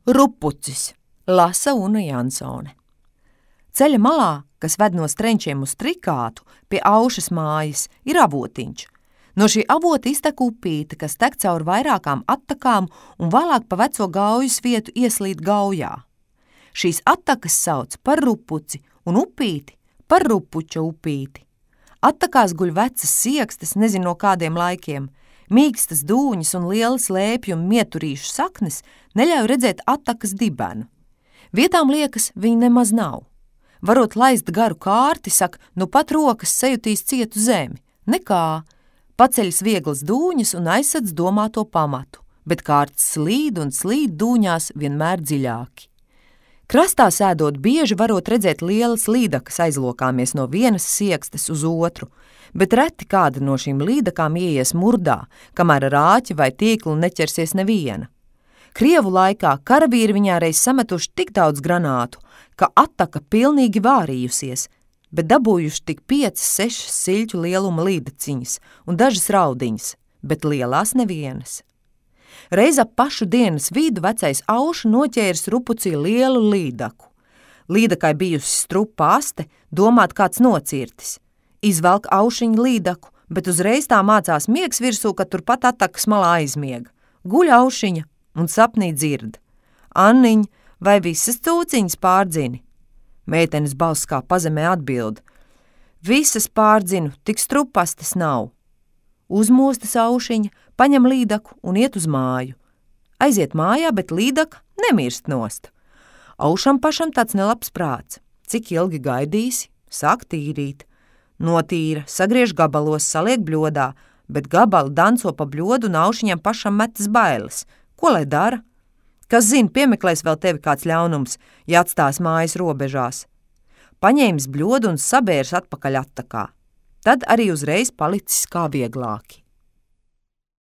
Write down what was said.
Rupucis, lasa Una Jansone. Ceļa malā, kas ved no Strenčiem uz Trikātu, pie Aušas mājas, ir avotiņš. No šī avota iztek upīte, kas tek caur vairākām attakām un vēlāk pa veco gaujas vietu ieslīd gaujā. Šīs attakas sauc par Rupuci un upīti par Rupuča upīti. Attakās guļ vecas siekstas, nezinu no kādiem laikiem. Mīkstas dūņas un lielas lēpju un mieturīšu saknes neļauj redzēt attakas dibenu. Vietām liekas, viņi nemaz nav. Varot laist garu kārti, saka, nu pat rokas sajutīs cietu zemi. Nekā. Paceļas vieglas dūņas un aizsadz domāto pamatu, bet kārts slīd un slīd dūņās vienmēr dziļāki. Krastā sēdot bieži varot redzēt lielas līdakas aizlokāmies no vienas siekstes uz otru, bet reti kāda no šīm līdakām ieies murdā, kamēr ar āķi vai tīklu neķersies neviena. Krievu laikā karavīri viņā reiz sametuši tik daudz granātu, ka attaka pilnīgi vārījusies, bet dabūjuši tik 5-6 siļķu lieluma līdaciņas un dažas raudiņas, bet lielās nevienas. Reiz ap pašu dienas vidu vecais Auša noķēris Rupucī lielu līdaku. Līdakai bijusi strupa aste, domāt kāds nocirtis. Izvelk Aušiņa līdaku, bet uzreiz tā mācās miegs virsū, ka turpat attakas malā aizmiega. Guļ Aušiņa un sapnī dzird. Anniņ, vai visas cūciņas pārdzini? Meitenes balss kā pazemē atbild. Visas pārdzinu, tik strupastes nav. Uzmostas Aušiņa, paņem līdaku un iet uz māju. Aiziet mājā, bet līdaka nemirst nost. Aušam pašam tāds nelabs prāts. Cik ilgi gaidīsi? Sāk tīrīt. Notīra, sagriež gabalos, saliek bļodā, bet gabali danco pa bļodu un Aušiņam pašam metas bailes. Ko lai dara? Kas zina, piemeklēs vēl tevi kāds ļaunums, ja atstās mājas robežās. Paņēmis bļodu un sabērs atpakaļ attakā. Tad arī uzreiz palicis kā vieglāki.